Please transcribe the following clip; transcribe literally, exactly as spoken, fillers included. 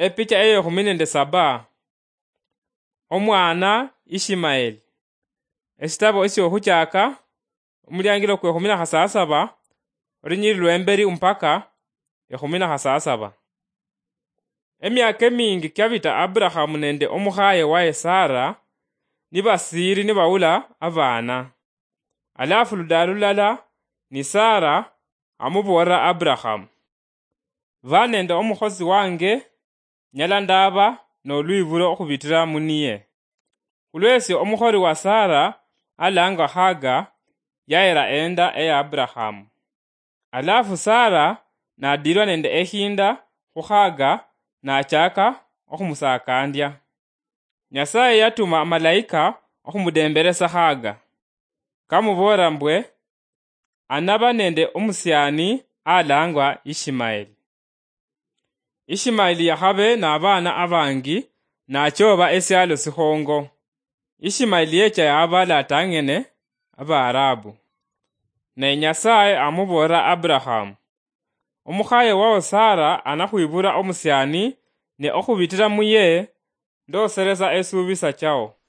Epicha eyekhumi nende saba. Omwana Ishimaeli. Esitabo esyokhuchaka, omuliangilo kwekhumi na khasasaba, olunyiri lwemberi mpaka ekhumi na khasasaba. Emyaka emingi kyabita Aburahamu nende omukhaye waye Sara nibasiiri nibawula abaana. Alafu ludaalo lulala ni Sara amuboolera Aburahamu, "Ba nende omukhosi wange, nyala ndaba nolwibulo okhubitira muniye." Khulwesyo omukholi wa Sara alangwa Haga yayira enda eya Aburahamu. Alafu Sara nadilwa nende ekhinda khu Haga nachaka okhumusakandya. Nyasaye yatuma amalaika okhumudemberesa Haga, kamuboolera mbwe anaba nende omusiani alangwa Ishimaeli. Ishimaeli yakhabe nabaana abangi, nachooba esialo sikhongo. Ishimaeli yecha yaabala atang'ene Abaarabu. Ne Nyasaye amuboolera Aburahamu, "Omukhaye wao Sara anakhwibura omusiani, ne okhubitira muye ndoseresa esuubisa chao."